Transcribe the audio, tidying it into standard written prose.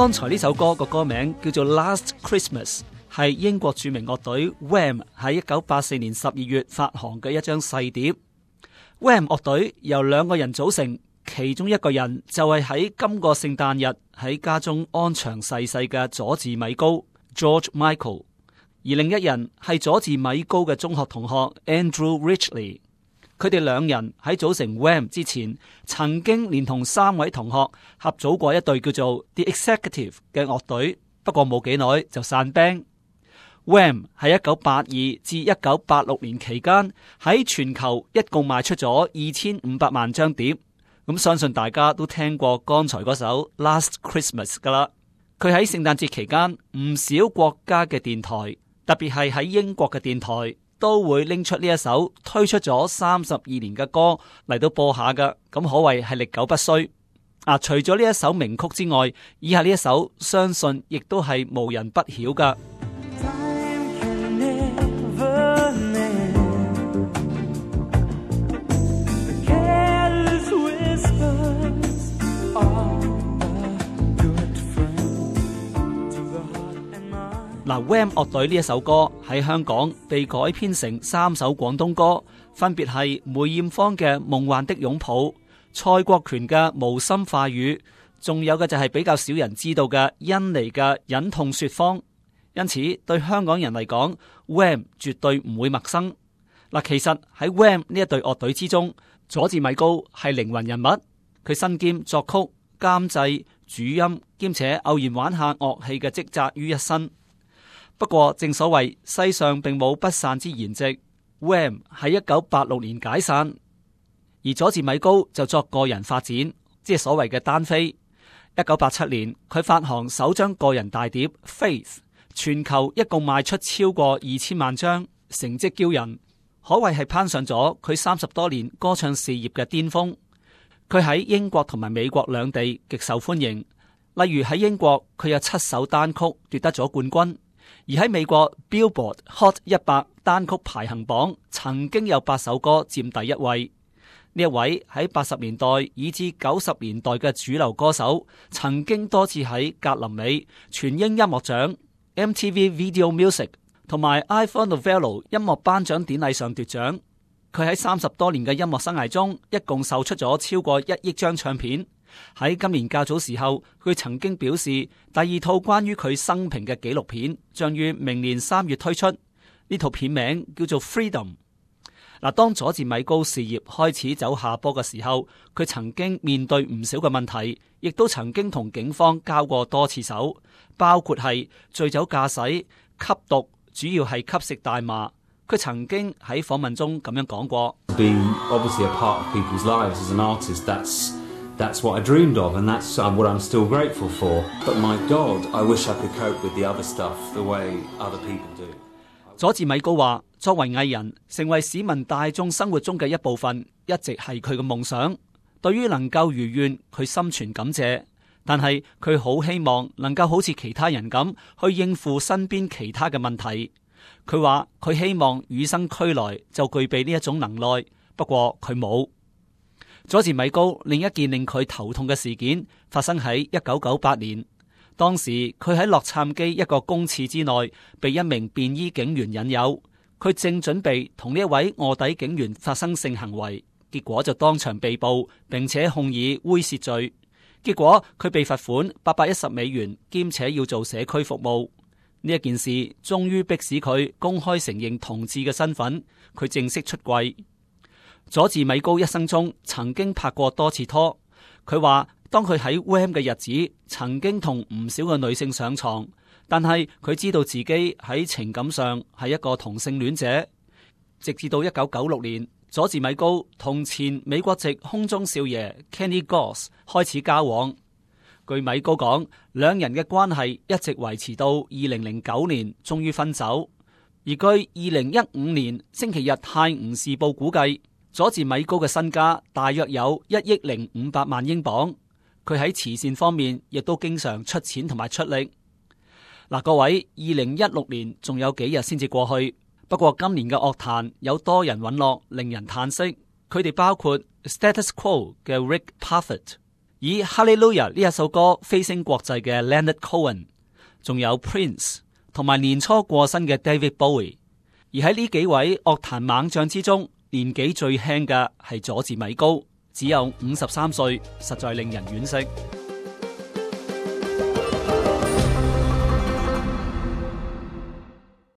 剛才呢首歌個歌名叫做 Last Christmas， 係英國著名樂隊 Wham 喺1984年12月發行嘅一張細碟。Wham 樂隊由2個人組成，其中一個人就係喺今個聖誕日喺家中安詳逝世嘅佐治米高 George Michael， 而另一人係佐治米高嘅中學同學 Andrew Ridgeley。佢哋2人喺組成 Wham 之前，曾經連同3位同學合組過一隊叫做 The Executive 嘅樂隊，不過冇幾耐就散 band。Wham 喺1982至1986年期間喺全球一共賣出咗2500萬張碟，咁相信大家都聽過剛才嗰首 Last Christmas 噶啦。佢喺聖誕節期間唔少國家嘅電台，特別係喺英國嘅電台，都會拎出呢一首推出咗32年嘅歌嚟到播下㗎，咁可謂係歷久不衰。除咗呢一首名曲之外，以下呢一首相信亦都係無人不曉㗎。Wham 樂隊呢一首歌喺香港被改編成3首廣東歌，分別係梅艷芳嘅《夢幻的擁抱》、蔡國權嘅《無心化語》，仲有嘅就係比較少人知道嘅甄妮嘅《忍痛說謊》。因此對香港人嚟講 Wham 絕對唔會陌生。其實喺 Wham 呢一隊樂隊之中，佐治米高係靈魂人物，佢身兼作曲、監製、主音，兼且偶然玩下樂器嘅職責於一身。不過正所謂世上並冇不散之筵席， Wham 喺1986年解散，而佐治米高就作個人發展，即係所謂嘅單飛。1987年佢發行首張個人大碟 Faith， 全球一共賣出超過2000萬張，成績驕人，可謂係攀上咗佢30多年歌唱事業嘅巔峰。佢喺英國同埋美國兩地極受歡迎，例如喺英國佢有7首單曲奪得咗冠軍，而喺美國 Billboard Hot 100單曲排行榜曾經有8首歌佔第1位。呢一位喺80年代以至90年代嘅主流歌手，曾經多次喺格林美、全英音樂獎、MTV Video Music 同埋 Ivor Novello 音樂頒獎典禮上奪獎。佢喺30多年嘅音樂生涯中，一共售出咗超過1億張唱片。喺今年較早時候，佢曾經表示第2套關於佢生平嘅紀錄片將於明年3月推出，呢套片名叫做 Freedom。當佐治米高事業開始走下坡嘅時候，佢曾經面對唔少嘅問題，亦都曾經同警方交過多次手，包括係醉酒駕駛、吸毒，主要係吸食大麻。佢曾經喺訪問中咁樣講過 ：Be obviously a part of people's lives as an artist. That's what I dreamed of, and that's what I'm still grateful for. But my God, I wish I could cope with the other stuff the way other people do. 佐治米高話：作為藝人，成為市民大眾生活中嘅一部分，一直係佢嘅夢想。對於能夠如願，佢心存感謝。但係佢好希望能夠好似其他人咁去應付身邊其他嘅問題。佢話佢希望與生俱來就具備呢一種能耐，不過佢冇。佐治米高另一件令佢頭痛嘅事件發生喺1998年。當時佢喺洛杉磯一個公廁之內，被一名便衣警員引誘，佢正準備同呢一位臥底警員發生性行為，結果就當場被捕，並且控以猥褻罪。結果佢被罰款$810，兼且要做社區服務。呢一件事終於迫使佢公開承認同志嘅身份，佢正式出櫃。佐治米高一生中曾經拍過多次拖，佢話當佢喺 Wham 嘅日子，曾經同唔少嘅女性上床，但係佢知道自己喺情感上係一個同性戀者。直至到1996年，佐治米高同前美國籍空中少爺 Kenny Goss 開始交往。據米高講，兩人嘅關係一直維持到2009年，終於分手。而據2015年星期日泰晤士報估計，佐治米高嘅身家大約有1億500萬英鎊。佢喺慈善方面亦都經常出錢同埋出力。各位，2016年仲有幾日先至過去，不過今年嘅樂壇有多人隕落，令人嘆息。佢哋包括 Status Quo 嘅 Rick Parfitt、以哈利路亞呢一首歌飛升國際嘅 Leonard Cohen， 仲有 Prince 同埋年初過身嘅 David Bowie。而喺呢幾位樂壇猛將之中，年紀最輕嘅係佐治米高，只有53歲，實在令人惋惜。